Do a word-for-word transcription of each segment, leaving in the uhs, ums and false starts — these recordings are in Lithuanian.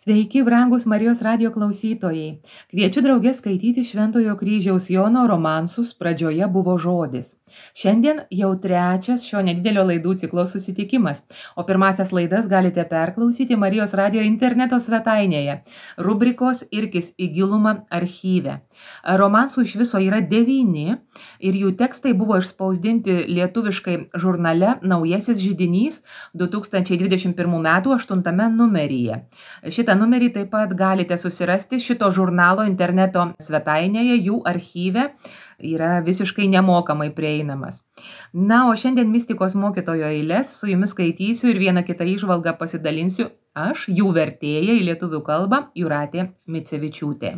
Sveiki, brangus Marijos radijo klausytojai. Kviečiu draugę skaityti Šventojo kryžiaus Jono romansus Pradžioje buvo žodis. Šiandien jau trečias šio nedidelio laidų ciklo susitikimas, o pirmasias laidas galite perklausyti Marijos radijo interneto svetainėje, rubrikos Irkis į gilumą archyve. Romansų iš viso yra devyni ir jų tekstai buvo išspausdinti lietuviškai žurnale Naujasis židinys du tūkstančiai dvidešimt pirmų metų aštuntame numeryje. Šitą numerį taip pat galite susirasti šito žurnalo interneto svetainėje, jų archyve yra visiškai nemokamai prieinamas. Na, o šiandien mistikos mokytojo eilės su jumis skaitysiu ir vieną kitą įžvalgą pasidalinsiu aš, jų vertėja į lietuvių kalbą Jūratė Micevičiūtė.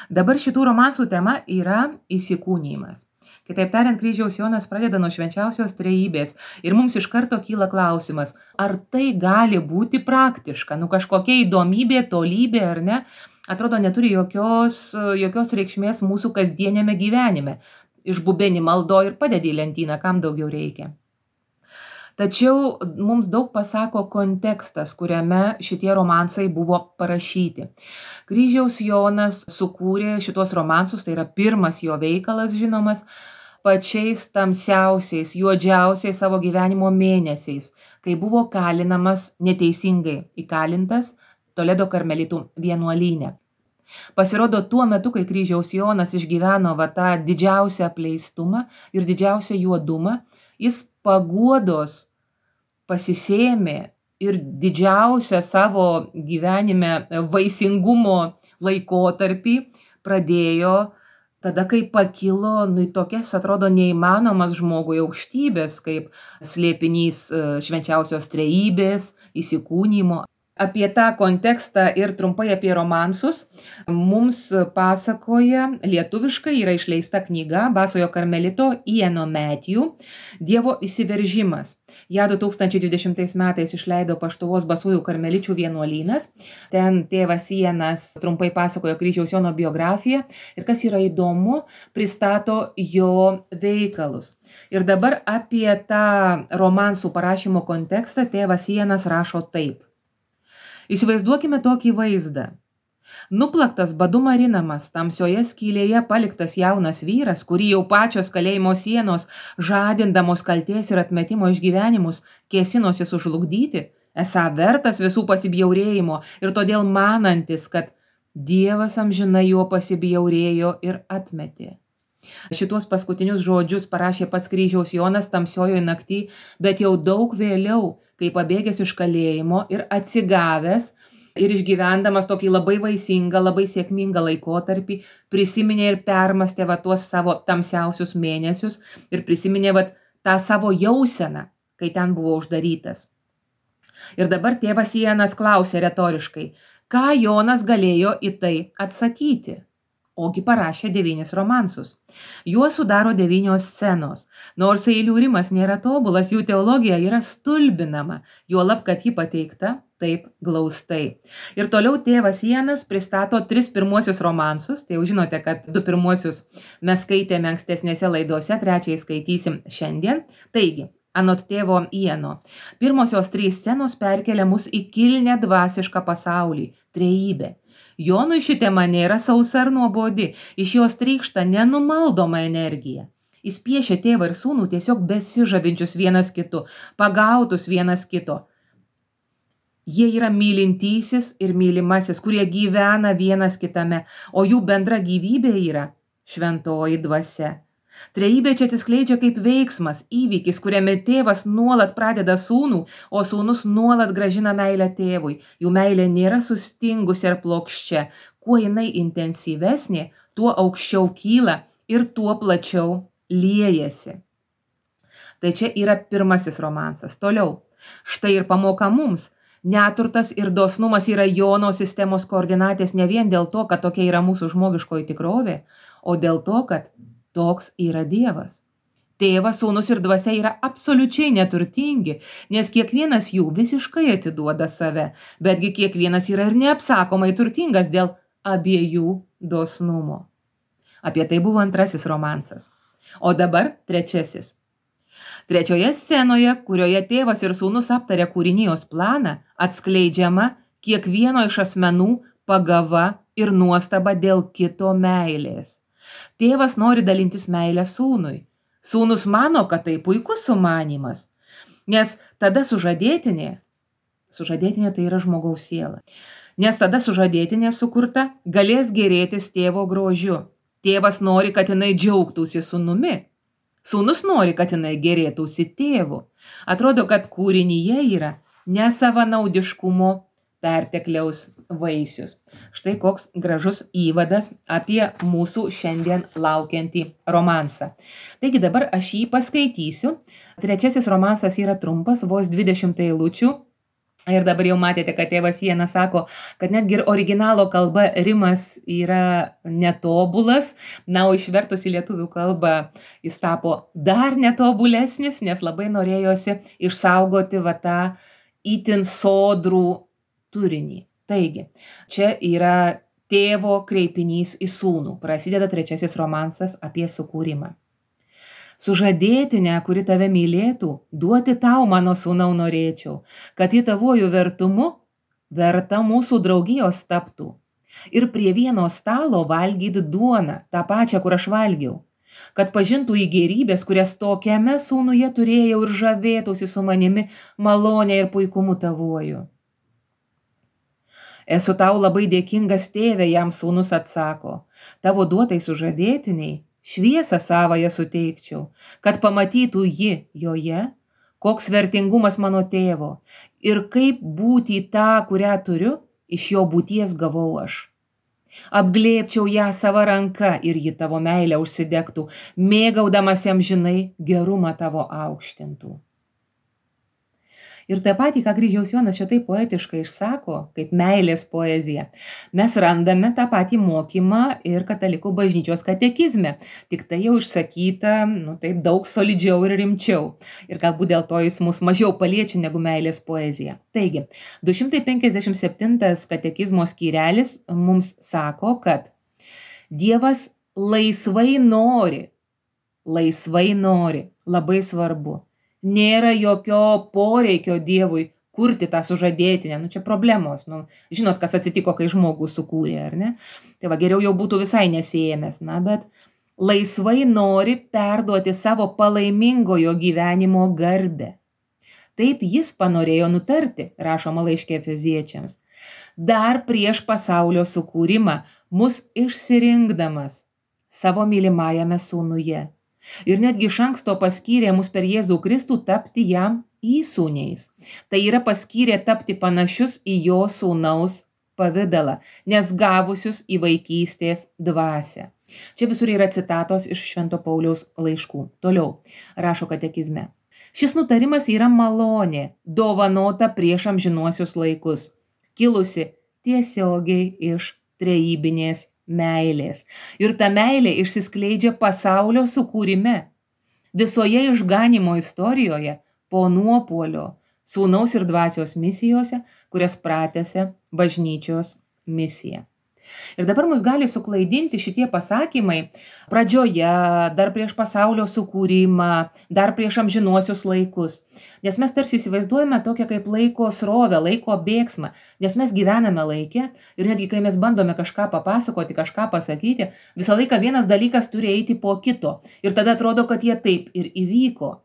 Dabar šitų romansų tema yra įsikūnijimas. Kitaip tariant, kryžiaus Jonas pradeda nuo švenčiausios trejybės ir mums iš karto kyla klausimas, ar tai gali būti praktiška, nu kažkokia įdomybė, tolybė ar ne, atrodo neturi jokios, jokios reikšmės mūsų kasdienėme gyvenime. Išbubeni maldo ir padedi į lentyną, kam daugiau reikia. Tačiau mums daug pasako kontekstas, kuriame šitie romansai buvo parašyti. Kryžiaus Jonas sukūrė šitos romansus, tai yra pirmas jo veikalas žinomas, pačiais tamsiausiais, juodžiausiais savo gyvenimo mėnesiais, kai buvo kalinamas neteisingai įkalintas Toledo karmelitų vienuolyne. Pasirodo, tuo metu, kai kryžiaus Jonas išgyveno va tą didžiausią apleistumą ir didžiausią juodumą, jis paguodos pasisėmė ir didžiausią savo gyvenime vaisingumo laikotarpį pradėjo tada, kai pakilo nu, tokias, atrodo, neįmanomas žmogui aukštybės, kaip slėpinys švenčiausios trejybės, įsikūnijimo. Apie tą kontekstą ir trumpai apie romansus mums pasakoja lietuviškai yra išleista knyga Basojo karmelito Iano Matthew Dievo įsiveržimas. Ja du tūkstančiai dvidešimtais metais išleido Paštuvos Basųjų karmeličių vienuolynas. Ten tėvas Ianas trumpai pasakojo kryžiaus Jono biografiją ir kas yra įdomu, pristato jo veikalus. Ir dabar apie tą romansų parašymo kontekstą tėvas Ianas rašo taip. Įsivaizduokime tokį vaizdą. Nuplaktas badu marinamas, tamsioje skylėje paliktas jaunas vyras, kurį jau pačios kalėjimo sienos, žadindamos kaltės ir atmetimo išgyvenimus, kėsinosi sužlugdyti, esą vertas visų pasibjaurėjimo ir todėl manantis, kad Dievas amžinai jo pasibjaurėjo ir atmetė. Šitos paskutinius žodžius parašė pats kryžiaus Jonas tamsiojoje naktį, bet jau daug vėliau, kai pabėgęs iš kalėjimo ir atsigavęs ir išgyvendamas tokį labai vaisingą, labai sėkmingą laikotarpį, prisiminė ir permastė va tuos savo tamsiausius mėnesius ir prisiminė va tą savo jauseną, kai ten buvo uždarytas. Ir dabar tėvas Ianas klausė retoriškai, ką Jonas galėjo į tai atsakyti? Ogi parašė devynis romansus. Juos sudaro devynios scenos. Nors eilių rimas nėra tobulas, jų teologija yra stulbinama, juolab, kad ji pateikta taip glaustai. Ir toliau tėvas Ianas pristato tris pirmuosius romansus, tai jau žinote, kad du pirmuosius mes skaitėme ankstesnėse laidose, trečiai skaitysim šiandien. Taigi, anot tėvo Iano, pirmosios trys scenos perkelia mus į kilnią dvasišką pasaulį, trejybę. Jonui ši tema nėra sausa ar nuobodi, iš jos trykšta nenumaldoma energija. Jis piešia tėvą ir sūnų tiesiog besižavinčius vienas kitu, pagautus vienas kito. Jie yra mylintysis ir mylimasis, kurie gyvena vienas kitame, o jų bendra gyvybė yra šventoji dvasia. Trejybė čia atsiskleidžia kaip veiksmas, įvykis, kuriame tėvas nuolat pradeda sūnų, o sūnus nuolat grąžina meilę tėvui. Jų meilė nėra sustingusi ar plokščia. Kuo jinai intensyvesnė, tuo aukščiau kyla ir tuo plačiau liejasi. Tai čia yra pirmasis romansas. Toliau. Štai ir pamoka mums. Neturtas ir dosnumas yra Jono sistemos koordinatės ne vien dėl to, kad tokia yra mūsų žmogiškoji tikrovė, o dėl to, kad toks yra Dievas. Tėvas, sūnus ir dvasia yra absoliučiai neturtingi, nes kiekvienas jų visiškai atiduoda save, betgi kiekvienas yra ir neapsakomai turtingas dėl abiejų dosnumo. Apie tai buvo antrasis romansas. O dabar trečiasis. Trečioje scenoje, kurioje tėvas ir sūnus aptarė kūrinijos planą, atskleidžiama kiekvieno iš asmenų pagava ir nuostaba dėl kito meilės. Tėvas nori dalintis meilę sūnui. Sūnus mano, kad tai puikus sumanymas, nes tada sužadėtinė, sužadėtinė tai yra žmogaus siela, nes tada sužadėtinė sukurta galės gėrėtis tėvo grožiu. Tėvas nori, kad jinai džiaugtųsi sūnumi. Sūnus nori, kad jinai gėrėtųsi tėvu. Atrodo, kad kūrinyje yra nesavanaudiškumo pertekliaus vaisius. Štai koks gražus įvadas apie mūsų šiandien laukiantį romansą. Taigi dabar aš jį paskaitysiu. Trečiasis romansas yra trumpas, vos dvidešimt eilučių. Ir dabar jau matėte, kad tėvas Iena sako, kad netgi ir originalo kalba rimas yra netobulas. Na, o išvertus į lietuvių kalbą jis tapo dar netobulesnis, nes labai norėjosi išsaugoti va tą itin sodrų turinį. Taigi, čia yra tėvo kreipinys į sūnų. Prasideda trečiasis romansas apie sukūrimą. Sužadėtinę, kuri tave mylėtų, duoti tau, mano sūnau, norėčiau, kad į tavojų vertumu verta mūsų draugijos taptų. Ir prie vieno stalo valgyti duoną, tą pačią, kur aš valgiau, kad pažintų į gėrybės, kurias tokiame sūnuje turėjau ir žavėtųsi su manimi malonė ir puikumu tavoju. Esu tau labai dėkingas, tėve, jam sūnus atsako, tavo duotai sužadėtiniai šviesą savąją suteikčiau, kad pamatytų ji joje, koks vertingumas mano tėvo ir kaip būti tą, kurią turiu, iš jo būties gavau aš. Apglėbčiau ją savo ranka ir ji tavo meilę užsidegtų, mėgaudamas jam žinai gerumą tavo aukštintų. Ir tą patį, ką Kryžiaus Jonas šitai poetiškai išsako, kaip meilės poezija, mes randame tą patį mokymą ir katalikų bažnyčios katekizme. Tik tai jau išsakyta, nu taip, daug solidžiau ir rimčiau. Ir galbūt dėl to jis mus mažiau paliečia negu meilės poezija. Taigi, du šimtai penkiasdešimt septintas katekizmo skyrelis mums sako, kad Dievas laisvai nori, laisvai nori, labai svarbu. Nėra jokio poreikio Dievui kurti tą sužadėtinę. Nu, čia problemos. Nu, žinot, kas atsitiko, kai žmogų sukūrė, ar ne? Tai va, geriau jau būtų visai nesėjęs. Na, bet laisvai nori perduoti savo palaimingojo gyvenimo garbę. Taip jis panorėjo nutarti, rašoma laiške Efeziečiams. Dar prieš pasaulio sukūrimą mus išsirinkdamas savo mylimajame sūnuje. Ir netgi iš anksto paskyrė mus per Jėzų Kristų tapti jam įsūniais. Tai yra paskyrė tapti panašius į jo sūnaus pavidalą, nes gavusius į vaikystės dvasią. Čia visur yra citatos iš Švento Pauliaus laiškų. Toliau rašo katekizme. Šis nutarimas yra malonė, dovanota prieš amžinuosius laikus, kilusi tiesiogiai iš trejybinės meilės. Ir ta meilė išsiskleidžia pasaulio sukūrime, visoje išganimo istorijoje, po nuopuolio, sūnaus ir dvasios misijose, kurias pratęsia bažnyčios misija. Ir dabar mus gali suklaidinti šitie pasakymai pradžioje, dar prieš pasaulio sukūrimą, dar prieš amžinuosius laikus. Nes mes tarsi įsivaizduojame tokią kaip laiko srovę, laiko bėgsmą, nes mes gyvename laike ir netgi kai mes bandome kažką papasakoti, kažką pasakyti, visą laiką vienas dalykas turi eiti po kito. Ir tada atrodo, kad jie taip ir įvyko.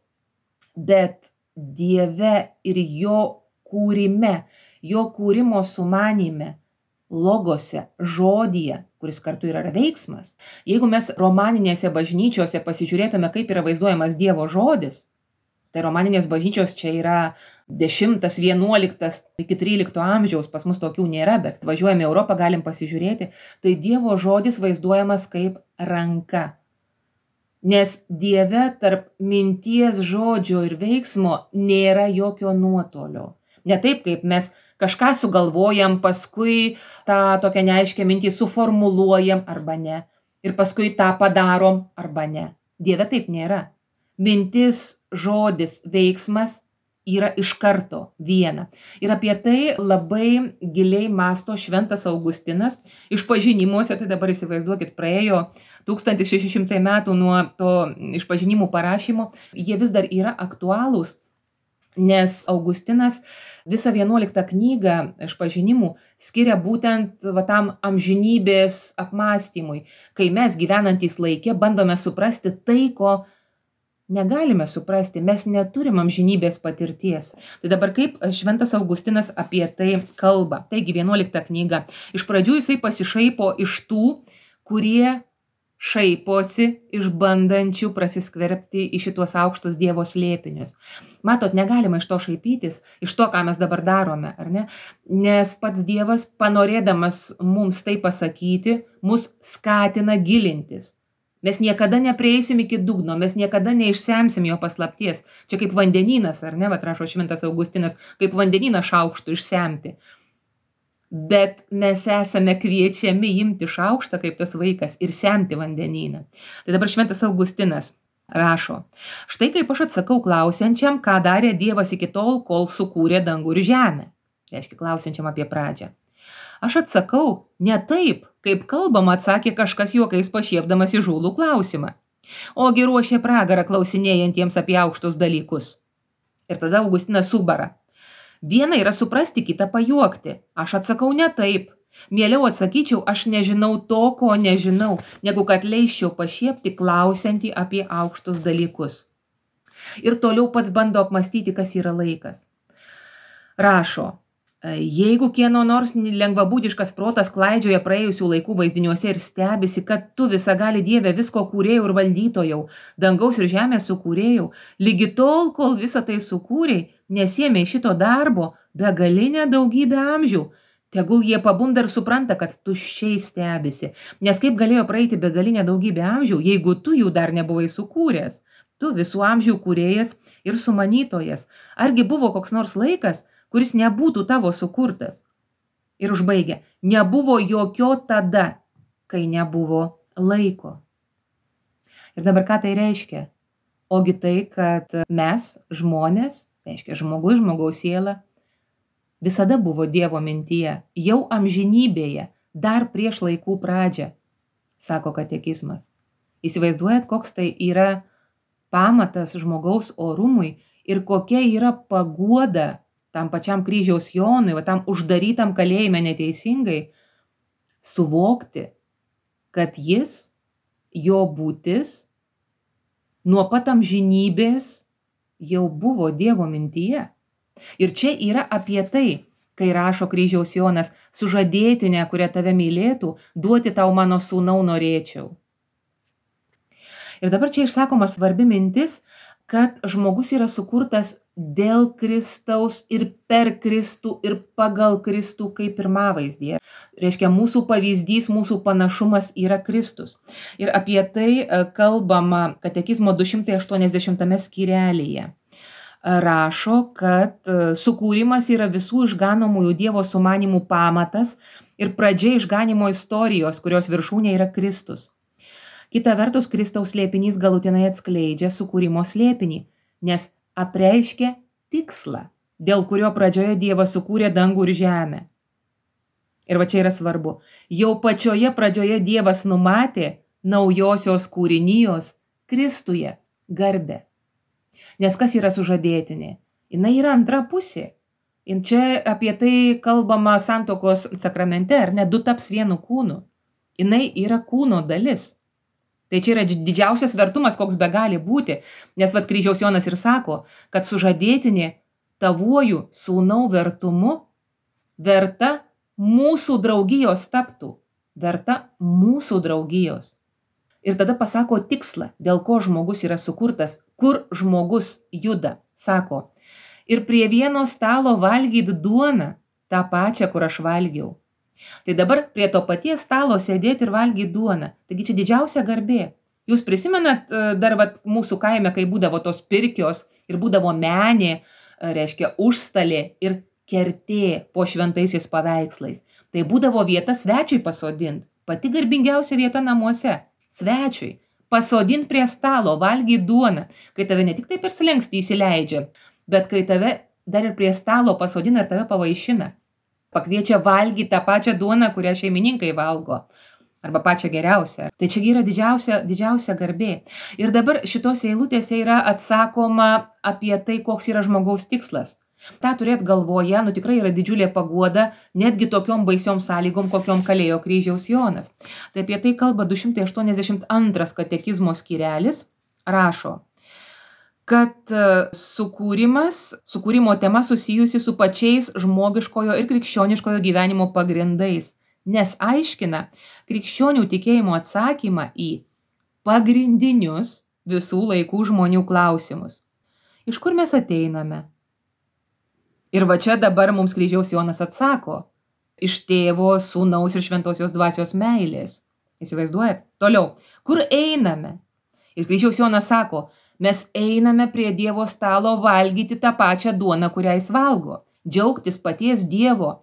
Bet Dieve ir jo kūrime, jo kūrimo sumanyme, logose, žodyje, kuris kartu yra veiksmas. Jeigu mes romaninėse bažnyčiose pasižiūrėtume, kaip yra vaizduojamas Dievo žodis, tai romaninės bažnyčios čia yra dešimtas, vienuoliktas iki trylikto amžiaus, pas mus tokių nėra, bet važiuojame į Europą, galim pasižiūrėti, tai Dievo žodis vaizduojamas kaip ranka. Nes Dieve tarp minties, žodžio ir veiksmo nėra jokio nuotolio. Ne taip, kaip mes kažką sugalvojam, paskui tą tokią neaiškę mintį suformuluojam arba ne. Ir paskui tą padarom arba ne. Dieve taip nėra. Mintis, žodis, veiksmas yra iš karto viena. Ir apie tai labai giliai mąsto šventas Augustinas. Išpažinimuose, tai dabar įsivaizduokit, praėjo tūkstantis šeši šimtai metų nuo to išpažinimų parašymo. Jie vis dar yra aktualūs. nes Augustinas visą vienuoliktą knygą išpažinimų skiria būtent va, tam amžinybės apmąstymui, kai mes gyvenantys laikė bandome suprasti tai, ko negalime suprasti, mes neturim amžinybės patirties. Tai dabar kaip šventas Augustinas apie tai kalba. Taigi vienuolikta knyga. Iš pradžių jisai pasišaipo iš tų, kurie šaiposi iš bandančių prasiskverbti į šitos aukštus Dievo slėpinius. Matot, negalima iš to šaipytis, iš to, ką mes dabar darome, ar ne? Nes pats Dievas, panorėdamas mums tai pasakyti, mus skatina gilintis. Mes niekada neprieisim iki dugno, mes niekada neišsemsim jo paslapties. Čia kaip vandenynas, ar ne, vat rašo šventas Augustinas, kaip vandenyną šaukštų išsemti. Bet mes esame kviečiami imti šaukštą kaip tas vaikas ir semti vandenyną. Tai dabar šventas Augustinas rašo: štai kaip aš atsakau klausiančiam, ką darė Dievas iki tol, kol sukūrė dangų ir žemę. Reiškia klausiančiam apie pradžią. Aš atsakau ne taip, kaip kalbama, atsakė kažkas juokais pašiepdamas įžūlų klausimą. Ogi ruošė pragarą klausinėjantiems apie aukštus dalykus. Ir tada Augustinas subara. Viena yra suprasti, kitą pajuokti. Aš atsakau ne taip. Mieliau atsakyčiau, aš nežinau to, ko nežinau, negu kad leisčiau pašiepti klausiantį apie aukštus dalykus. Ir toliau pats bando apmastyti, kas yra laikas. Rašo: jeigu kieno nors lengvabūdiškas protas klaidžioja praėjusių laikų vaizdiniuose ir stebisi, kad tu visagali Dieve visko kūrėjau ir valdytojau, dangaus ir žemės sukūrėjau, lygi tol, kol visą tai sukūrėjai, nesiėmė šito darbo begalinę daugybę amžių, tegul jie pabunda ir supranta, kad tuščiai stebisi. Nes kaip galėjo praeiti begalinę daugybę amžių, jeigu tu jų dar nebuvai sukūręs? Tu visų amžių kūrėjas ir sumanytojas. Argi buvo koks nors laikas, kuris nebūtų tavo sukurtas? Ir užbaigia: nebuvo jokio tada, kai nebuvo laiko. Ir dabar ką tai reiškia? Ogi tai, kad mes, žmonės, reiškia žmogus, žmogaus siela, visada buvo Dievo mintyje, jau amžinybėje, dar prieš laikų pradžią, sako katekizmas. Įsivaizduojat, koks tai yra pamatas žmogaus orumui ir kokia yra paguoda tam pačiam kryžiaus Jonui, va tam uždarytam kalėjime neteisingai, suvokti, kad jis, jo būtis, nuo pat amžinybės jau buvo Dievo mintyje. Ir čia yra apie tai, kai rašo kryžiaus Jonas: sužadėtinę, kurią tave mylėtų, duoti tau mano sūnau norėčiau. Ir dabar čia išsakoma svarbi mintis, kad žmogus yra sukurtas dėl Kristaus ir per Kristų ir pagal Kristų kaip pirmavaizdyje. Reiškia, mūsų pavyzdys, mūsų panašumas yra Kristus. Ir apie tai kalbama katekizmo du šimtai aštuoniasdešimtame skyrelyje. Rašo, kad sukūrimas yra visų išganomųjų Dievo sumanimų pamatas ir pradžia išganimo istorijos, kurios viršūnė yra Kristus. Kita vertus, Kristaus slėpinys galutinai atskleidžia sukūrimo slėpinį, nes apreiškia tikslą, dėl kurio pradžioje Dievas sukūrė dangų ir žemę. Ir va čia yra svarbu. Jau pačioje pradžioje Dievas numatė naujosios kūrinijos Kristuje garbę. Nes kas yra sužadėtinė? Jinai yra antra pusė. Ir čia apie tai kalbama santuokos sakramente, ar ne, du taps vienu kūnu. Jinai yra kūno dalis. Tai čia yra didžiausias vertumas, koks be gali būti, nes vat kryžiaus Jonas ir sako, kad sužadėtinė tavuoju sūnau vertumu verta mūsų draugijos taptų, verta mūsų draugijos. Ir tada pasako tikslą, dėl ko žmogus yra sukurtas, kur žmogus juda. Sako: ir prie vieno stalo valgyt duoną, tą pačią, kur aš valgiau. Tai dabar prie to paties stalo sėdėti ir valgyti duoną. Taigi čia didžiausia garbė. Jūs prisimenat dar vat, mūsų kaime, kai būdavo tos pirkios ir būdavo menė, reiškia užstalė ir kertė po šventaisiais paveikslais. Tai būdavo vieta svečiui pasodint. Pati garbingiausia vieta namuose. Svečiui. Pasodint prie stalo, valgyti duoną. Kai tave ne tik taip ir slenksti įsileidžia, bet kai tave dar ir prie stalo pasodina ir tave pavaišina. Pakviečia valgyti tą pačią duoną, kurią šeimininkai valgo. arba pačią geriausią. Tai čia yra didžiausia, didžiausia garbė. Ir dabar šitose eilutėse yra atsakoma apie tai, koks yra žmogaus tikslas. Ta turėt galvoje, nu tikrai yra didžiulė paguoda, netgi tokiom baisiom sąlygom, kokiom kalėjo kryžiaus Jonas. Tai apie tai kalba du šimtai aštuoniasdešimt antras katekizmo skyrelis, rašo, kad sukūrimas, sukūrimo tema susijusi su pačiais žmogiškojo ir krikščioniškojo gyvenimo pagrindais, nes aiškina krikščionių tikėjimo atsakymą į pagrindinius visų laikų žmonių klausimus. Iš kur mes ateiname? Ir va čia dabar mums kryžiaus Jonas atsako, iš tėvo, sūnaus ir šventosios dvasios meilės. Įsivaizduojat? Toliau, kur einame? Ir kryžiaus Jonas sako, mes einame prie Dievo stalo valgyti tą pačią duoną, kurią jis valgo, džiaugtis paties Dievo,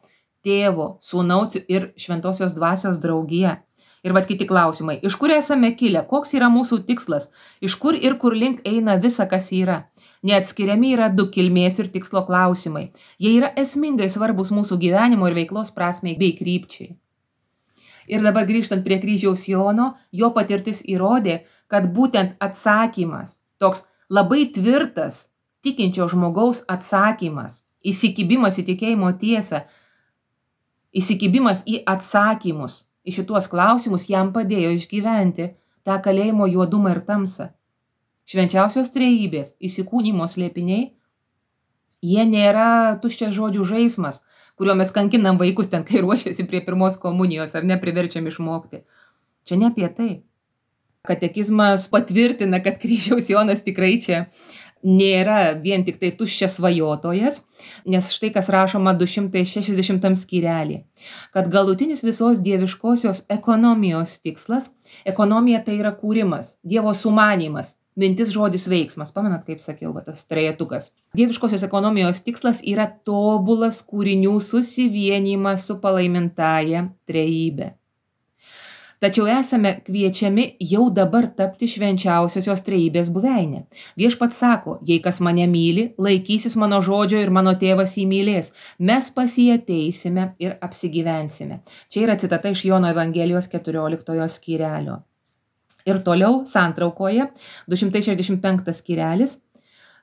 tėvo, sūnaus ir šventosios dvasios draugija. Ir vat kiti klausimai, iš kur esame kilę, koks yra mūsų tikslas, iš kur ir kur link eina visa, kas yra. Neatskiriami yra du kilmės ir tikslo klausimai. Jie yra esmingai svarbus mūsų gyvenimo ir veiklos prasmei bei krypčiai. Ir dabar grįžtant prie kryžiaus Jono, jo patirtis įrodė, kad būtent atsakymas, toks labai tvirtas, tikinčio žmogaus atsakymas, įsikibimas į tikėjimo tiesą, įsikibimas į atsakymus, į šituos klausimus jam padėjo išgyventi tą kalėjimo juodumą ir tamsą. Švenčiausios trejybės įsikūnymo slėpiniai, jie nėra tuščias žodžių žaismas, kuriuo mes kankinam vaikus ten, kai ruošiasi prie pirmos komunijos ar nepriverčiam išmokti. Čia ne apie tai. Katekizmas patvirtina, kad kryžiaus Jonas tikrai čia nėra vien tik tai tuščias svajotojas, nes štai kas rašoma du šimtai šešiasdešimtam skyrelį, kad galutinis visos dieviškosios ekonomijos tikslas, ekonomija tai yra kūrimas, Dievo sumanymas, mintis, žodis, veiksmas. Pamenat, kaip sakiau, va, tas trejetukas. Dieviškosios ekonomijos tikslas yra tobulas kūrinių susivienijimas su palaimintąja trejybe. Tačiau esame kviečiami jau dabar tapti švenčiausiosios trejybės buveinė. Viešpats sako, jei kas mane myli, laikysis mano žodžio ir mano tėvas jį mylės. Mes pas jį ateisime ir apsigyvensime. Čia yra citata iš Jono Evangelijos keturioliktojo skyrelio. Ir toliau santraukoje du šimtai šešiasdešimt penktas skyrelis.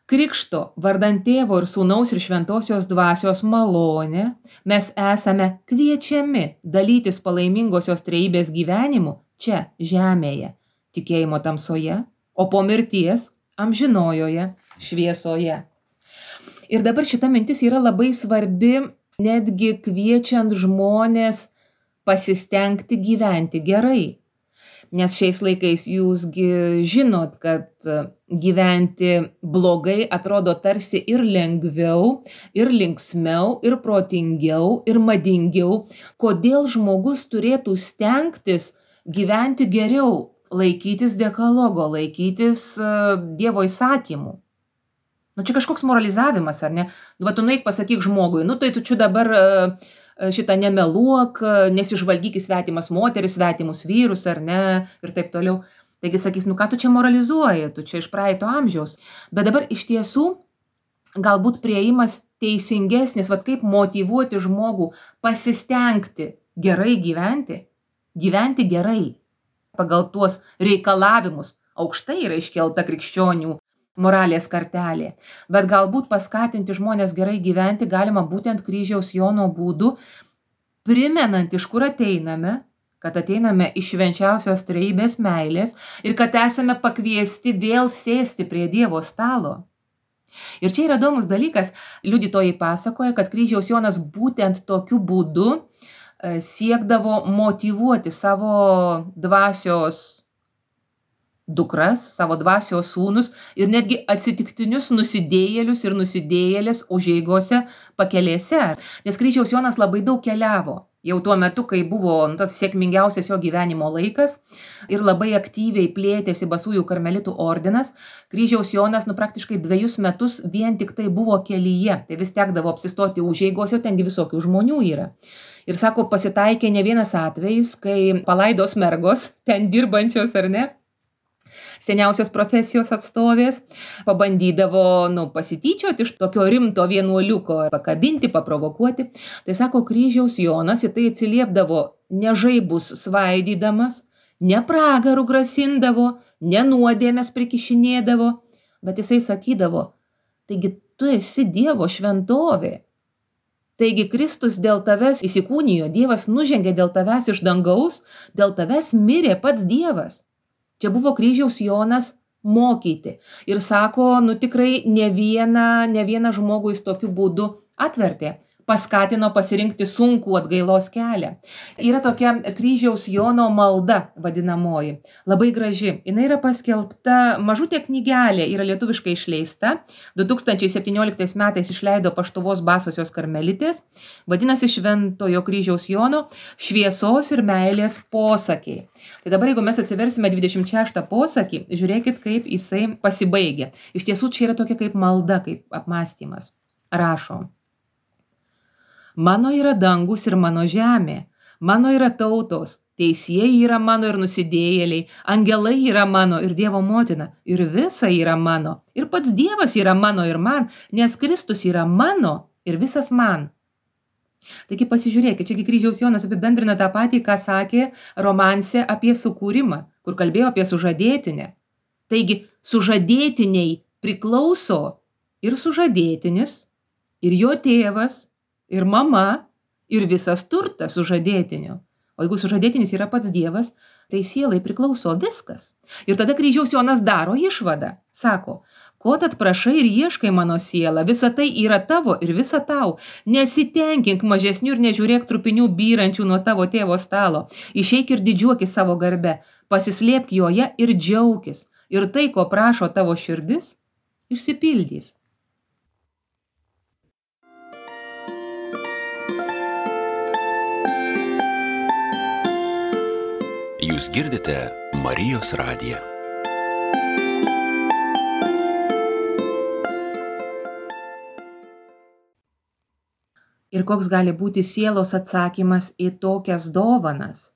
Krikšto vardant tėvo ir sūnaus ir šventosios dvasios malonę mes esame kviečiami dalytis palaimingosios trejybės gyvenimu čia, žemėje, tikėjimo tamsoje, o po mirties amžinojoje šviesoje. Ir dabar šita mintis yra labai svarbi, netgi kviečiant žmonės pasistengti gyventi gerai. Nes šiais laikais jūsgi žinot, kad gyventi blogai atrodo tarsi ir lengviau, ir linksmiau, ir protingiau, ir madingiau. Kodėl žmogus turėtų stengtis gyventi geriau, laikytis dekalogo, laikytis uh, Dievo įsakymų? Nu čia kažkoks moralizavimas, ar ne? Va tu nueik pasakyk žmogui, nu tai tu čia dabar uh, šitą nemeluok, nesižvalgyk į svetimas moteris, svetimus vyrus, ar ne, ir taip toliau. Taigi sakys, nu ką tu čia moralizuoji, tu čia iš praeito amžiaus. Bet dabar iš tiesų galbūt priėjimas teisingesnis, vat kaip motyvuoti žmogų pasistengti gerai gyventi, gyventi gerai pagal tuos reikalavimus. Aukštai yra iškelta krikščionių moralės kartelė. Bet galbūt paskatinti žmonės gerai gyventi galima būtent kryžiaus Jono būdu, primenant, iš kur ateiname, kad ateiname iš švenčiausios trejybės meilės ir kad esame pakviesti vėl sėsti prie Dievo stalo. Ir čia yra įdomus dalykas, liudytojai pasakoja, kad kryžiaus Jonas būtent tokiu būdu siekdavo motyvuoti savo dvasios dukras, savo dvasios sūnus ir netgi atsitiktinius nusidėjėlius ir nusidėjėlės užeigose pakelėse. Nes kryžiaus Jonas labai daug keliavo. Jau tuo metu, kai buvo nu, tas sėkmingiausias jo gyvenimo laikas ir labai aktyviai plėtėsi basųjų karmelitų ordinas, kryžiaus Jonas nu, praktiškai dviejus metus vien tik tai buvo kelyje. Tai vis tekdavo apsistoti užeigose, tengi visokių žmonių yra. Ir sako, pasitaikė ne vienas atvejis, kai palaidos mergos, ten dirbančios ar ne, seniausios profesijos atstovės, pabandydavo nu, pasityčioti iš tokio rimto vienuoliuko, pakabinti, paprovokuoti. Tai sako, kryžiaus Jonas į tai atsiliepdavo ne žaibus svaidydamas, ne pragarų grasindavo, ne nuodėmės prikišinėdavo, bet jisai sakydavo, taigi tu esi Dievo šventovė. Taigi Kristus dėl tavęs įsikūnijo, Dievas nužengė dėl tavęs iš dangaus, dėl tavęs mirė pats Dievas. Čia buvo kryžiaus Jonas mokyti. Ir sako, nu tikrai ne vieną, ne vieną žmogų jis tokiu būdu atvertė. Paskatino pasirinkti sunkų atgailos kelią. Yra tokia kryžiaus Jono malda vadinamoji, labai graži. Jis yra paskelbta mažutė knygelė, yra lietuviškai išleista. du tūkstančiai septynioliktais metais išleido Paštuvos Basosios karmelitės. Vadinasi Šventojo kryžiaus Jono šviesos ir meilės posakiai. Tai dabar, jeigu mes atsiversime dvidešimt šeštą posakį, žiūrėkit, kaip jisai pasibaigia. Iš tiesų, čia yra tokia kaip malda, kaip apmąstymas. Rašo. Mano yra dangus ir mano žemė, mano yra tautos, teisieji yra mano ir nusidėjėliai, angelai yra mano ir Dievo motina, ir visa yra mano, ir pats Dievas yra mano ir man, nes Kristus yra mano ir visas man. Taigi pasižiūrėkit, čiagi kryžiaus Jonas apibendrina tą patį, ką sakė romanse apie sukūrimą, kur kalbėjo apie sužadėtinę. Taigi sužadėtiniai priklauso ir sužadėtinis, ir jo tėvas, ir mama, ir visas turtas sužadėtinio. O jeigu sužadėtinis yra pats Dievas, tai sielai priklauso viskas. Ir tada kryžiaus Jonas daro išvadą. Sako, ko tad prašai ir ieškai mano sielą, visa tai yra tavo ir visa tau. Nesitenkink mažesnių ir nežiūrėk trupinių byrančių nuo tavo tėvo stalo. Išeik ir didžiuokis savo garbe, pasislėpk joje ir džiaukis. Ir tai, ko prašo tavo širdis, išsipildys. Jūs girdite Marijos radiją. Ir koks gali būti sielos atsakymas į tokias dovanas?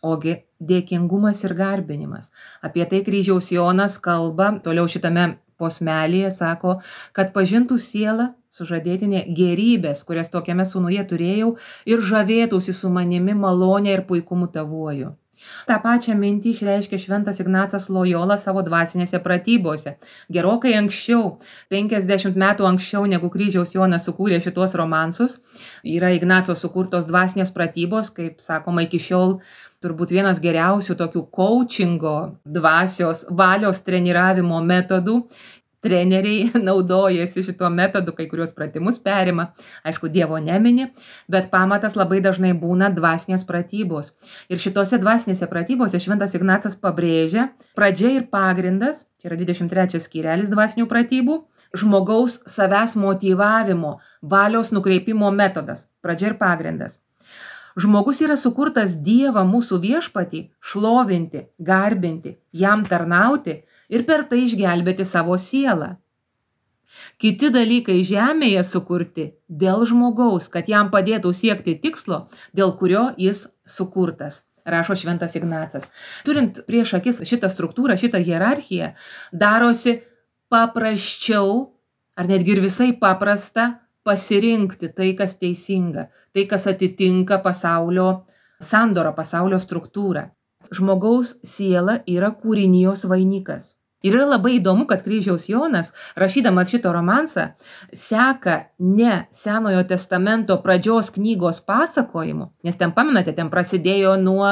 Ogi dėkingumas ir garbinimas. Apie tai kryžiaus Jonas kalba, toliau šitame posmelėje sako, kad pažintų sielą sužadėtinė gerybės, kurias tokiame sūnuje turėjau, ir žavėtųsi su manimi malonė ir puikumu tavuoju. Ta pačią mintį išreiškia šventas Ignacas Lojola savo dvasinėse pratybose. Gerokai anksčiau, penkiasdešimt metų anksčiau, negu kryžiaus Jonas sukūrė šitos romansus, yra Ignaco sukurtos dvasinės pratybos, kaip sakoma, iki šiol turbūt vienas geriausių tokių coachingo dvasios valios treniravimo metodų. Treneriai naudojasi šituo metodu, kai kurios pratimus perima, aišku, Dievo nemini, bet pamatas labai dažnai būna dvasinės pratybos. Ir šitose dvasinėse pratybose šventas Ignacas pabrėžia pradžia ir pagrindas, čia yra dvidešimt trečias skyrelis dvasinių pratybų, žmogaus savęs motyvavimo, valios nukreipimo metodas, pradžia ir pagrindas. Žmogus yra sukurtas Dievą mūsų viešpatį šlovinti, garbinti, jam tarnauti ir per tai išgelbėti savo sielą. Kiti dalykai žemėje sukurti dėl žmogaus, kad jam padėtų siekti tikslo, dėl kurio jis sukurtas, rašo šventas Ignacas. Turint prieš akis šitą struktūrą, šitą hierarchiją, darosi paprasčiau, ar netgi ir visai paprasta, pasirinkti tai, kas teisinga, tai, kas atitinka pasaulio sandorą, pasaulio struktūrą. Žmogaus siela yra kūrinijos vainikas. Ir yra labai įdomu, kad kryžiaus Jonas, rašydamas šito romansą, seka ne Senojo testamento pradžios knygos pasakojimu, nes ten, pamenate, ten prasidėjo nuo,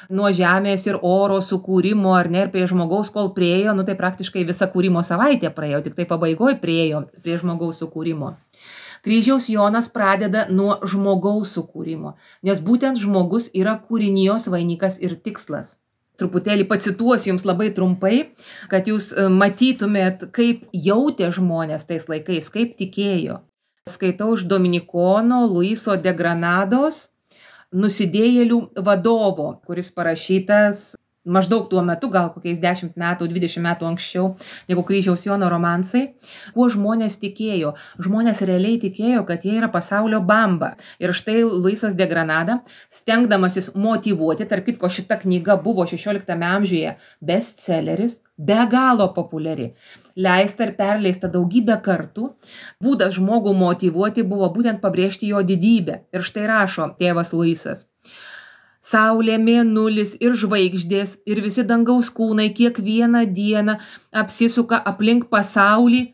nuo žemės ir oro sukūrimo, ar ne, ir prie žmogaus, kol priejo, nu tai praktiškai visa kūrimo savaitė praėjo, tik tai pabaigoje priejo prie žmogaus sukūrimo. Kryžiaus Jonas pradeda nuo žmogaus sukūrimo, nes būtent žmogus yra kūrinijos vainikas ir tikslas. Truputėlį pacituosiu jums labai trumpai, kad jūs matytumėt, kaip jautė žmonės tais laikais, kaip tikėjo. Skaitau iš Dominikono Luiso de Granados Nusidėjėlių vadovo, kuris parašytas maždaug tuo metu, gal kokiais dešimt metų, dvidešimt metų anksčiau, negu kryžiaus Jono romansai, kuo žmonės tikėjo. Žmonės realiai tikėjo, kad jie yra pasaulio bamba. Ir štai Luisas de Granada, stengdamasis motyvuoti, tarp kitko šita knyga buvo šešioliktame amžiuje bestselleris, be galo populiari, leista ir perleista daugybę kartų, būdas žmogų motyvuoti buvo būtent pabrėžti jo didybę. Ir štai rašo tėvas Luisas. Saulė, mėnulis ir žvaigždės ir visi dangaus kūnai kiekvieną dieną apsisuka aplink pasaulį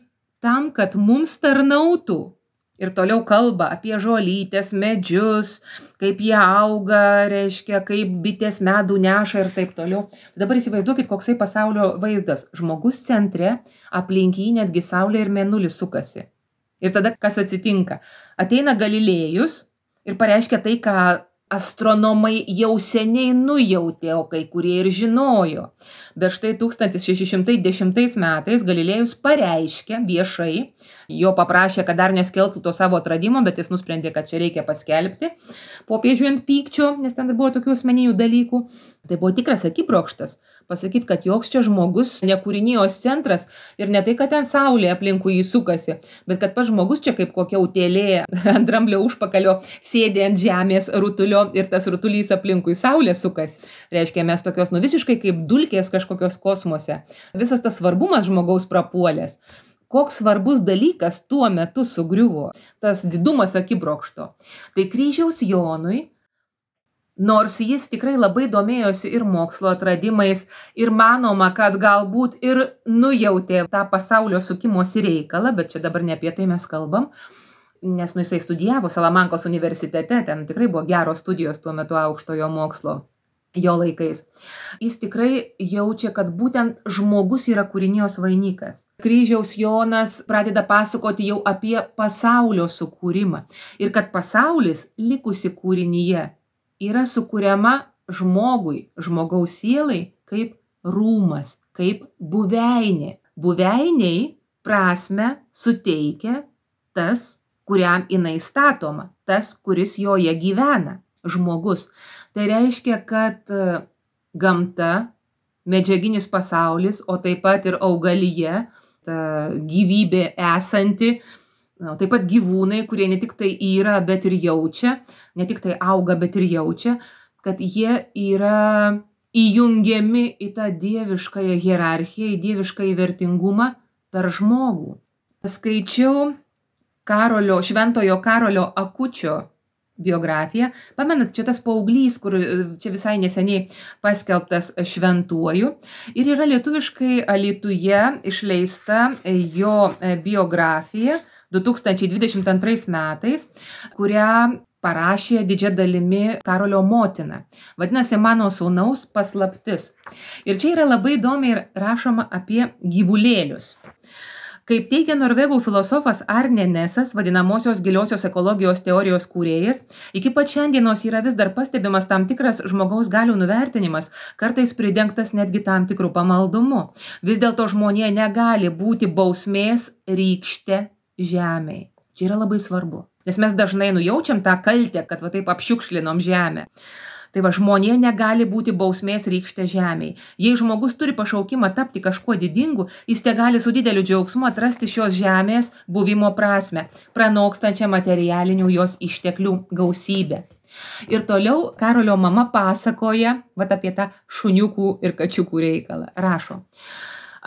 tam, kad mums tarnautų. Ir toliau kalba apie žolytes, medžius, kaip jie auga, reiškia, kaip bitės medų neša ir taip toliau. Dabar įsivaizduokit, koksai pasaulio vaizdas. Žmogus centre, aplink jį netgi Saulė ir mėnulis sukasi. Ir tada kas atsitinka? Ateina Galilėjus ir pareiškia tai, ką astronomai jau seniai nujautė, o kai kurie ir žinojo. Bet štai tūkstantis šeši šimtai dešimtais metais Galilėjus pareiškė viešai, jo paprašė, kad dar neskelbtų to savo atradimo, bet jis nusprendė, kad čia reikia paskelbti. Popiežiui ant pykčio, nes ten buvo tokių asmeninių dalykų. Tai buvo tikras akibrokštas. Pasakyti, kad joks čia žmogus ne kūrinijos centras ir ne tai, kad ten Saulė aplinkui jį sukasi, bet kad pats žmogus čia kaip kokia utėlė ant dramblio užpakalio sėdi ant žemės rutulio ir tas rutulys aplinkui Saulė sukasi. Reiškia, mes tokios, nu visiškai kaip dulkės kažkokios kosmose. Visas tas svarbumas žmogaus prapuolės. Koks svarbus dalykas tuo metu sugriuvo, tas didumas akibrokšto. Tai kryžiaus Jonui, nors jis tikrai labai domėjosi ir mokslo atradimais ir manoma, kad galbūt ir nujautė tą pasaulio sukimosi reikalą, bet čia dabar ne apie tai mes kalbam, nes nu jisai studijavo Salamankos universitete, ten tikrai buvo geros studijos tuo metu aukštojo mokslo jo laikais. Jis tikrai jaučia, kad būtent žmogus yra kūrinijos vainikas. Kryžiaus Jonas pradeda pasakoti jau apie pasaulio sukūrimą ir kad pasaulis likusi kūrinyje yra sukuriama žmogui, žmogaus sielai kaip rūmas, kaip buveinė. Buveiniai prasme suteikia tas, kuriam jinai statoma, tas, kuris joje gyvena, žmogus. Tai reiškia, kad gamta, medžiaginis pasaulis, o taip pat ir augalija, ta gyvybė esanti, na, taip pat gyvūnai, kurie ne tik tai yra, bet ir jaučia, ne tik tai auga, bet ir jaučia, kad jie yra įjungiami į tą dieviškąją hierarchiją, į dieviškąjį vertingumą per žmogų. Skaičiau Karolio, šventojo Karolio Akučio biografiją. Pamenat, čia tas paauglys, kur čia visai neseniai paskelbtas šventuoju. Ir yra lietuviškai Alytuje išleista jo biografija du tūkstančiai dvidešimt antrais metais, kurią parašė didžia dalimi Karolio motina. Vadinasi, mano sūnaus paslaptis. Ir čia yra labai įdomiai rašoma apie gyvulėlius. Kaip teigia norvegų filosofas Arne Nesas, vadinamosios giliosios ekologijos teorijos kūrėjas, iki pat šiandienos yra vis dar pastebimas tam tikras žmogaus galių nuvertinimas, kartais pridengtas netgi tam tikrų pamaldumu. Vis dėlto žmonija negali būti bausmės rykšte žemei. Čia yra labai svarbu, nes mes dažnai nujaučiam tą kaltę, kad va taip apšiukšlinom žemę. Tai va, žmonija negali būti bausmės rykšte žemei. Jei žmogus turi pašaukimą tapti kažkuo didingu, jis te gali su dideliu džiaugsmu atrasti šios žemės buvimo prasmę, pranokstančią materialinių jos išteklių gausybę. Ir toliau Karolio mama pasakoja vat, apie tą šuniukų ir kačiukų reikalą. Rašo.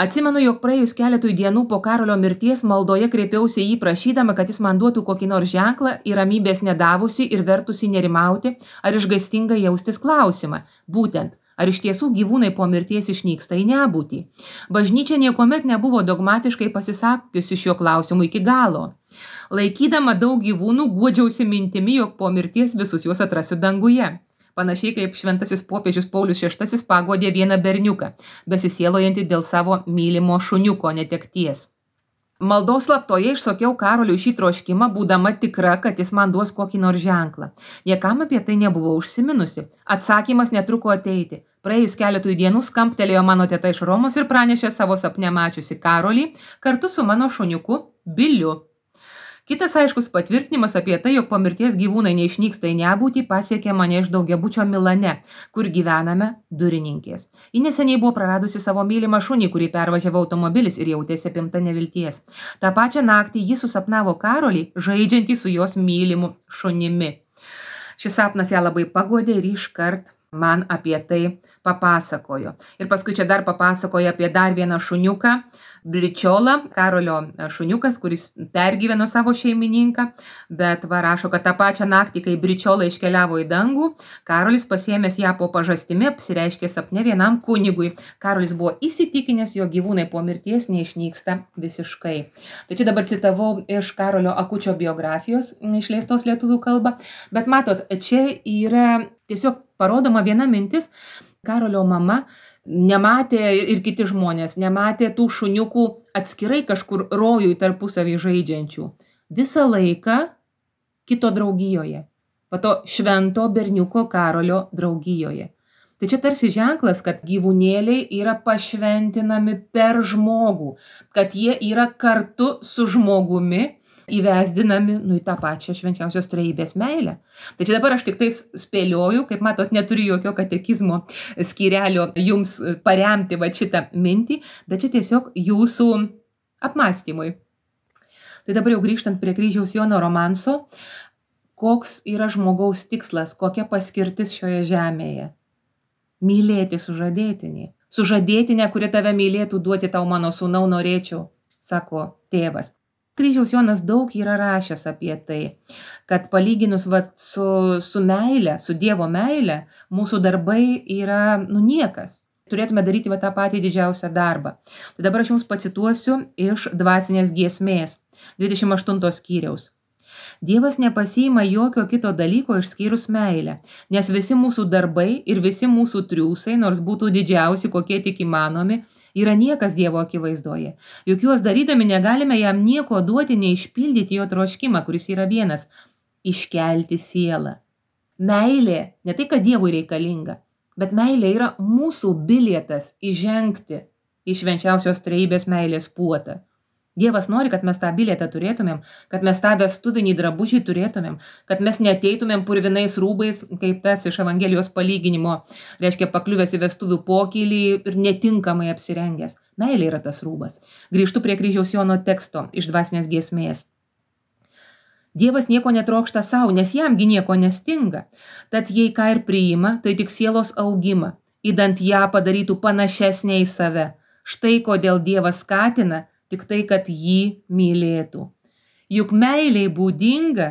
Atsimenu, jog praėjus keletui dienų po Karolio mirties maldoje kreipiausi į jį prašydama, kad jis man duotų kokį nors ženklą ir ramybės nedavusi ir vertusi nerimauti ar išgąstingai jaustis klausimą. Būtent, ar iš tiesų gyvūnai po mirties išnyksta į nebūtį. Bažnyčia niekuomet nebuvo dogmatiškai pasisakiusi šiuo klausimu iki galo. Laikydama daug gyvūnų, guodžiausi mintimi, jog po mirties visus juos atrasiu danguje. Panašiai kaip šventasis popiežius Paulius šeštasis paguodė vieną berniuką, besisielojantį dėl savo mylimo šuniuko netekties. Maldos slaptoje išsakiau Karoliui šį troškimą, būdama tikra, kad jis man duos kokį nors ženklą. Niekam apie tai nebuvo užsiminusi. Atsakymas netruko ateiti. Praėjus keletui dienų skambtelėjo mano teta iš Romos ir pranešė savo sapne mačiusi Karolį kartu su mano šuniuku Biliu. Kitas aiškus patvirtinimas apie tai, jog po mirties gyvūnai neišnyksta į nebūtį, pasiekė mane iš daugiabučio Milane, kur gyvename durininkės. Ji neseniai buvo praradusi savo mylimą šunį, kurį pervažiavo automobilis ir jautėsi apimta nevilties. Ta pačią naktį ji susapnavo Karolį, žaidžiantį su jos mylimu šunimi. Šis sapnas ją labai paguodė ir iškart man apie tai papasakojo. Ir paskui čia dar papasakojo apie dar vieną šuniuką, Bričiolą, Karolio šuniukas, kuris pergyveno savo šeimininką, bet va rašo, kad tą pačią naktį, kai Bričiola iškeliavo į dangų, Karolis pasiėmęs ją po pažastimi apsireiškė sapne vienam kunigui. Karolis buvo įsitikinęs, jo gyvūnai po mirties neišnyksta visiškai. Tai čia dabar citavau iš Karolio Akučio biografijos išleistos lietuvių kalba, bet matot, čia yra tiesiog parodoma viena mintis. Karolio mama nematė ir kiti žmonės, nematė tų šuniukų atskirai kažkur rojui tarpusavį žaidžiančių. Visą laiką kito draugijoje, pato švento berniuko Karolio draugijoje. Tai čia tarsi ženklas, kad gyvūnėliai yra pašventinami per žmogų, kad jie yra kartu su žmogumi įvesdinami, nu, į tą pačią švenčiausios trejybės meilę. Tai čia dabar aš tik tais spėlioju, kaip matot, neturiu jokio katekizmo skyrelio jums paremti va šitą mintį, bet čia tiesiog jūsų apmąstymui. Tai dabar jau grįžtant prie Kryžiaus Jono romanso, koks yra žmogaus tikslas, kokia paskirtis šioje žemėje? Mylėti sužadėtinį. Sužadėtinę, kuri tave mylėtų, duoti tau mano sūnau norėčiau, sako tėvas. Kryžiaus Jonas daug yra rašęs apie tai, kad palyginus va, su, su meile, su Dievo meile, mūsų darbai yra nu niekas. Turėtume daryti va, tą patį didžiausią darbą. Tai dabar aš jums pacituosiu iš dvasinės giesmės, dvidešimt aštunto skyriaus. Dievas nepasiima jokio kito dalyko išskyrus meilę, nes visi mūsų darbai ir visi mūsų triūsai, nors būtų didžiausi, kokie tik įmanomi, yra niekas Dievo akivaizdoje. Juk juos darydami negalime jam nieko duoti, neišpildyti jo troškimą, kuris yra vienas – iškelti sielą. Meilė, ne tai, kad Dievui reikalinga, bet meilė yra mūsų bilietas įžengti į švenčiausios trejybės meilės puotą. Dievas nori, kad mes tą bilietą turėtumėm, kad mes tą vestuvinį drabužį turėtumėm, kad mes neateitumėm purvinais rūbais, kaip tas iš Evangelijos palyginimo, reiškia pakliuvęs į vestuvių pokylį ir netinkamai apsirengęs. Meilė yra tas rūbas. Grįžtu prie Kryžiaus Jono teksto iš dvasinės giesmės. Dievas nieko netrokšta savo, nes jamgi nieko nestinga. Tad jei ką ir priima, tai tik sielos augimą, įdant ją padarytų panašesnė į save. Štai kodėl Dievas skatina, tik tai, kad jį mylėtų. Juk meiliai būdinga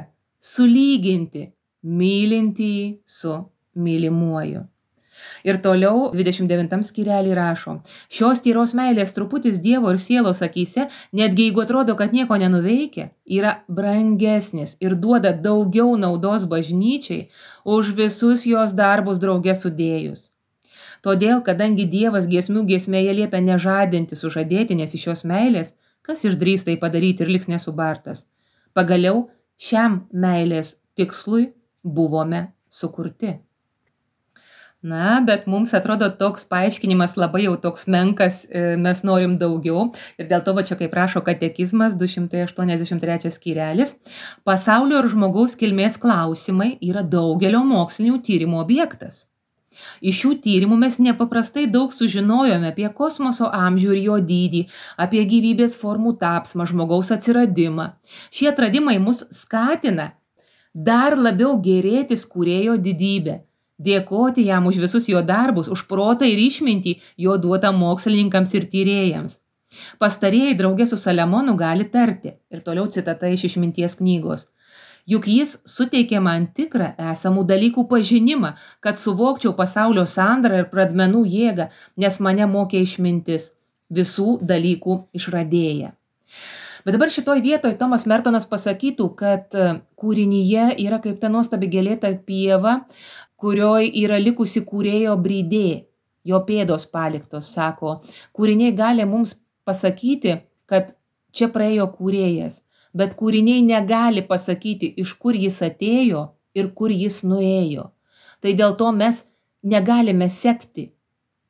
sulyginti mylintįjį su mylimuoju. Ir toliau dvidešimt devintam skyrelį rašo, šios tyros meilės truputis Dievo ir sielos akyse, netgi jeigu atrodo, kad nieko nenuveikia, yra brangesnis ir duoda daugiau naudos bažnyčiai už visus jos darbus drauge sudėjus. Todėl, kadangi Dievas giesmių giesmėje liepia nežadinti sužadėtinės iš šios meilės, kas išdrįs tai padaryti ir liks nesubartas? Pagaliau šiam meilės tikslui buvome sukurti. Na, bet mums atrodo toks paaiškinimas labai jau toks menkas, mes norim daugiau. Ir dėl to, va čia kaip rašo katekizmas, du šimtai aštuoniasdešimt trečias skyrelis, pasaulio ir žmogaus kilmės klausimai yra daugelio mokslinių tyrimų objektas. Iš šių tyrimų mes nepaprastai daug sužinojome apie kosmoso amžių ir jo dydį, apie gyvybės formų tapsmą, žmogaus atsiradimą. Šie atradimai mus skatina dar labiau gėrėtis kūrėjo didybę, dėkoti jam už visus jo darbus, už protą ir išmintį jo duotą mokslininkams ir tyrėjams. Pastarieji drauge su Saliamonu gali tarti, ir toliau citata iš išminties knygos. Juk jis suteikė man tikrą esamų dalykų pažinimą, kad suvokčiau pasaulio sandarą ir pradmenų jėgą, nes mane mokė išmintis, visų dalykų išradėja. Bet dabar šitoj vietoj Tomas Mertonas pasakytų, kad kūrinyje yra kaip ta nuostabi gėlėta pieva, kurioj yra likusi kūrėjo brydė, jo pėdos paliktos, sako. Kūriniai gali mums pasakyti, kad čia praėjo kūrėjas. Bet kūriniai negali pasakyti, iš kur jis atėjo ir kur jis nuėjo. Tai dėl to mes negalime sekti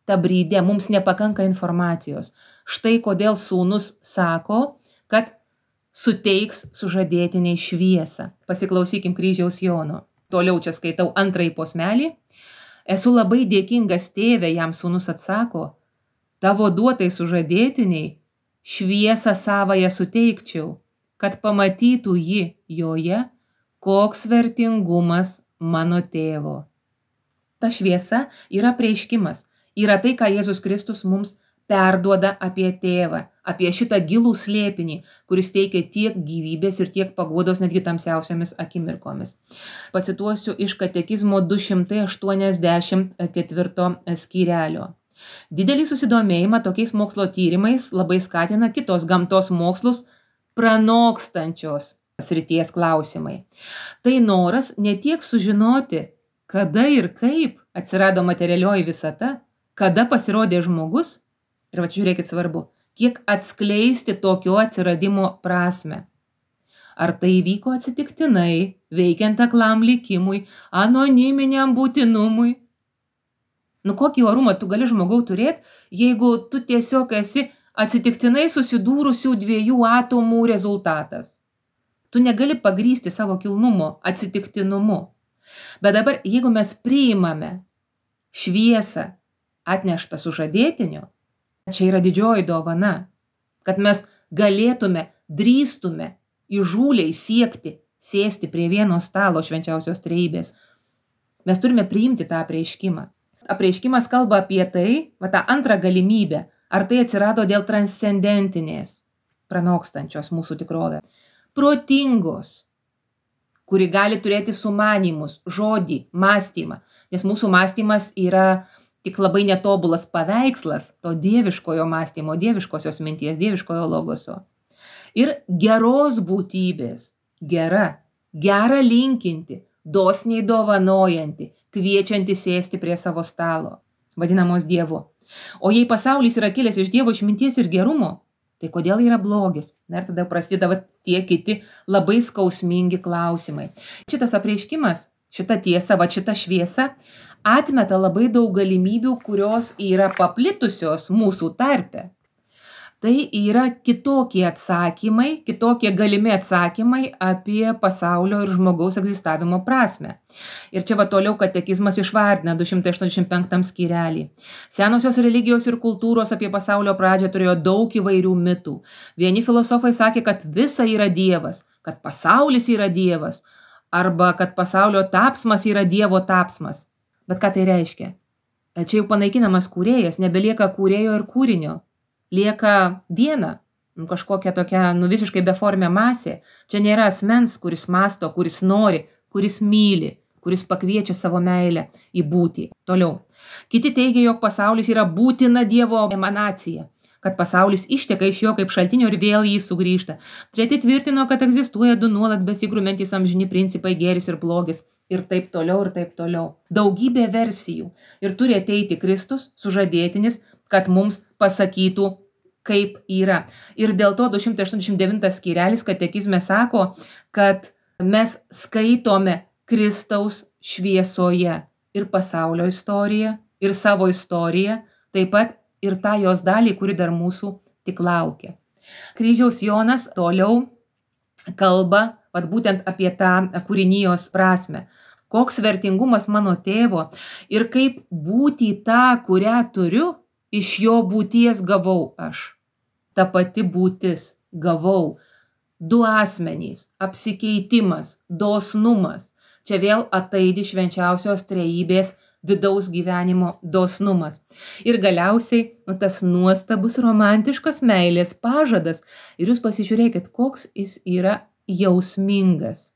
tą brydę, mums nepakanka informacijos. Štai kodėl sūnus sako, kad suteiks sužadėtiniai šviesą. Pasiklausykim Kryžiaus Jono. Toliau čia skaitau antrąjį posmelį. Esu labai dėkingas tėve, jam sūnus atsako, tavo duotai sužadėtiniai šviesą savąją suteikčiau, kad pamatytų ji joje, koks vertingumas mano tėvo. Ta šviesa yra prieiškimas, yra tai, ką Jėzus Kristus mums perduoda apie tėvą, apie šitą gilų slėpinį, kuris teikia tiek gyvybės ir tiek paguodos netgi tamsiausiomis akimirkomis. Pacituosiu iš katekizmo du šimtai aštuoniasdešimt ketvirto skyrelio. Didelį susidomėjimą tokiais mokslo tyrimais labai skatina kitos gamtos mokslus pranokstančios srities klausimai. Tai noras ne tiek sužinoti, kada ir kaip atsirado materialioji visata, kada pasirodė žmogus, ir va žiūrėkit svarbu, kiek atskleisti tokio atsiradimo prasme. Ar tai vyko atsitiktinai, veikiant aklam likimui, anoniminiam būtinumui? Nu kokį orumą tu gali žmogau turėti, jeigu tu tiesiog esi atsitiktinai susidūrusių dviejų atomų rezultatas. Tu negali pagrįsti savo kilnumo atsitiktinumu. Bet dabar, jeigu mes priimame šviesą atneštą sužadėtiniu, čia yra didžioji dovana, kad mes galėtume, drįstume įžūliai siekti, sėsti prie vieno stalo švenčiausios trejybės. Mes turime priimti tą apreiškimą. Apreiškimas kalba apie tai, va tą antrą galimybę, ar tai atsirado dėl transcendentinės, pranokstančios mūsų tikrovę, protingos, kuri gali turėti sumanymus, žodį, mąstymą, nes mūsų mąstymas yra tik labai netobulas paveikslas to dieviškojo mąstymo, dieviškosios minties, dieviškojo logoso. Ir geros būtybės, gera, gera linkinti, dosniai dovanojanti, kviečianti sėsti prie savo stalo, vadinamos Dievu. O jei pasaulis yra kilęs iš Dievo išminties ir gerumo, tai kodėl yra blogis? Na ir tada prasideda tie kiti labai skausmingi klausimai. Šitas apreiškimas, šita tiesa, va šita šviesa atmeta labai daug galimybių, kurios yra paplitusios mūsų tarpe. Tai yra kitokie atsakymai, kitokie galimi atsakymai apie pasaulio ir žmogaus egzistavimo prasme. Ir čia va toliau katekizmas išvardina du šimtai aštuoniasdešimt penktam skyrelį. Senosios religijos ir kultūros apie pasaulio pradžią turėjo daug įvairių mitų. Vieni filosofai sakė, kad visa yra Dievas, kad pasaulis yra Dievas, arba kad pasaulio tapsmas yra Dievo tapsmas. Bet ką tai reiškia? Čia jau panaikinamas kūrėjas, nebelieka kūrėjo ir kūrinio. Lieka viena, nu, kažkokia tokia nu, visiškai beformė masė. Čia nėra asmens, kuris mąsto, kuris nori, kuris myli, kuris pakviečia savo meilę į būtį. Toliau. Kiti teigia, jog pasaulis yra būtina Dievo emanacija, kad pasaulis išteka iš jo kaip šaltinio ir vėl jį sugrįžta. Treti tvirtino, kad egzistuoja du nuolat besigrumentys amžini principai gėris ir blogis. Ir taip toliau, ir taip toliau. Daugybė versijų. Ir turi ateiti Kristus, sužadėtinis, kad mums pasakytų, kaip yra. Ir dėl to du šimtai aštuoniasdešimt devintas skyrelis katekizme sako, kad mes skaitome Kristaus šviesoje ir pasaulio istoriją, ir savo istoriją, taip pat ir tą jos dalį, kuri dar mūsų tik laukia. Kryžiaus Jonas toliau kalba vat būtent apie tą kūrinijos prasme. Koks vertingumas mano tėvo ir kaip būti tą, kurią turiu, iš jo būties gavau aš. Ta pati būtis gavau. Du asmenys, apsikeitimas, dosnumas. Čia vėl ataidi švenčiausios trejybės vidaus gyvenimo dosnumas. Ir galiausiai nu, tas nuostabus romantiškas meilės pažadas. Ir jūs pasižiūrėkit, koks jis yra jausmingas.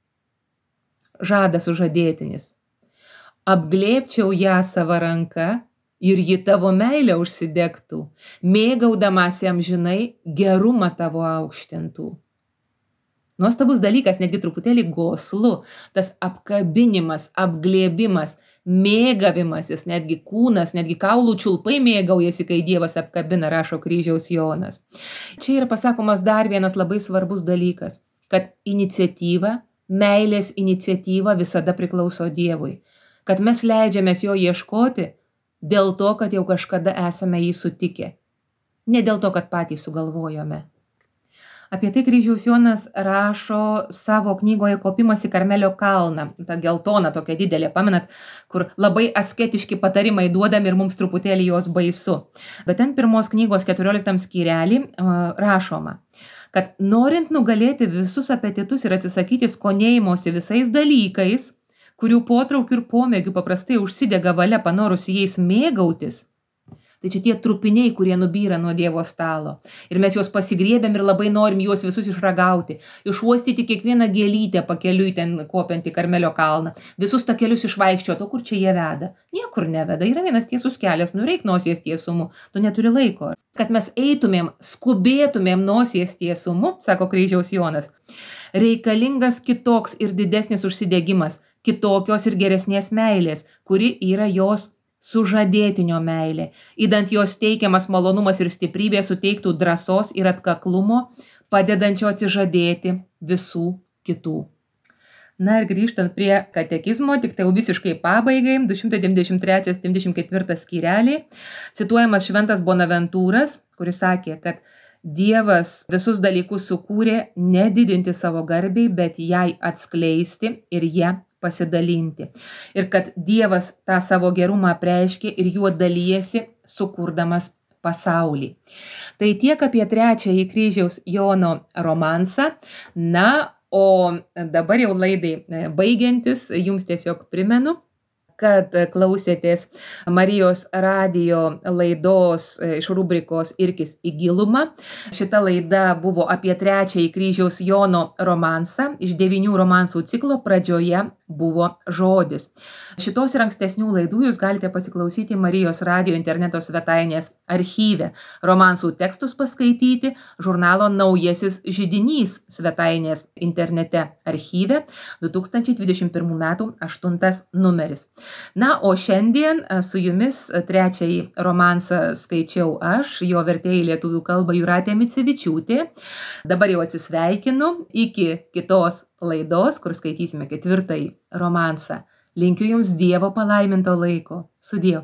Žadas sužadėtinis. Apglėbčiau ją savo ranka ir ji tavo meilę užsidegtų, mėgaudamasi amžinai gerumą tavo aukštintų. Nuostabus dalykas, netgi truputėlį goslu, tas apkabinimas, apglėbimas, mėgavimasis, netgi kūnas, netgi kaulų čiulpai mėgaujasi, kai Dievas apkabina, rašo Kryžiaus Jonas. Čia yra pasakomas dar vienas labai svarbus dalykas, kad iniciatyva, meilės iniciatyva visada priklauso Dievui, kad mes leidžiamės jo ieškoti dėl to, kad jau kažkada esame jį sutikę, ne dėl to, kad patys sugalvojome. Apie tai Kryžiaus Jonas rašo savo knygoje Kopimas į Karmelio kalną, ta geltona tokia didelė, pamenat, kur labai asketiški patarimai duodami ir mums truputėlį jos baisu. Bet ten pirmos knygos keturioliktam skyrelį rašoma, kad norint nugalėti visus apetitus ir atsisakyti skonėjimosi visais dalykais, kurių potraukių ir pomėgių paprastai užsidega valia panorusi jais mėgautis, tai čia tie trupiniai, kurie nubyra nuo Dievo stalo. Ir mes juos pasigriebiam ir labai norim juos visus išragauti, išuostyti kiekvieną gėlytę pakeliui ten kopiant į Karmelio kalną, visus takelius išvaikščioti, o kur čia jie veda? Niekur neveda, yra vienas tiesus kelias, nureik nosies tiesumu, tu neturi laiko. Kad mes eitumėm, skubėtumėm nosies tiesumu, sako Kryžiaus Jonas, reikalingas kitoks ir didesnis užsidegimas, kitokios ir geresnės meilės, kuri yra jos sužadėtinio meilė. Įdant jos teikiamas malonumas ir stiprybė suteiktų drąsos ir atkaklumo, padedančio atsižadėti visų kitų. Na ir grįžtant prie katekizmo, tik tai jau visiškai pabaigai, du šimtai devyniasdešimt trečias devyniasdešimt ketvirtas skyreliai, cituojamas šventas Bonaventūras, kuris sakė, kad Dievas visus dalykus sukūrė nedidinti savo garbei, bet jai atskleisti ir ją pasidalinti. Ir kad Dievas tą savo gerumą apreiškė ir juo dalijasi, sukurdamas pasaulį. Tai tiek apie trečiąjį Kryžiaus Jono romansą. Na, o dabar jau laidai baigiantis, jums tiesiog primenu, kad klausėtės Marijos radijo laidos iš rubrikos Irkis į gilumą. Šita laida buvo apie trečiąjį Kryžiaus Jono romansą. Iš devynių romansų ciklo pradžioje buvo žodis. Šitos ir ankstesnių laidų jūs galite pasiklausyti Marijos radijo interneto svetainės archyve. Romansų tekstus paskaityti žurnalo Naujasis židinys svetainės internete archyve du tūkstančiai dvidešimt pirmų metų aštuntas numeris. Na, o šiandien su jumis trečiąjį romansą skaičiau aš, jo vertėja į lietuvių kalbą Jūratė Micevičiūtė. Dabar jau atsisveikinu iki kitos laidos, kur skaitysime ketvirtąjį romansą. Linkiu jums Dievo palaiminto laiko. Sudie.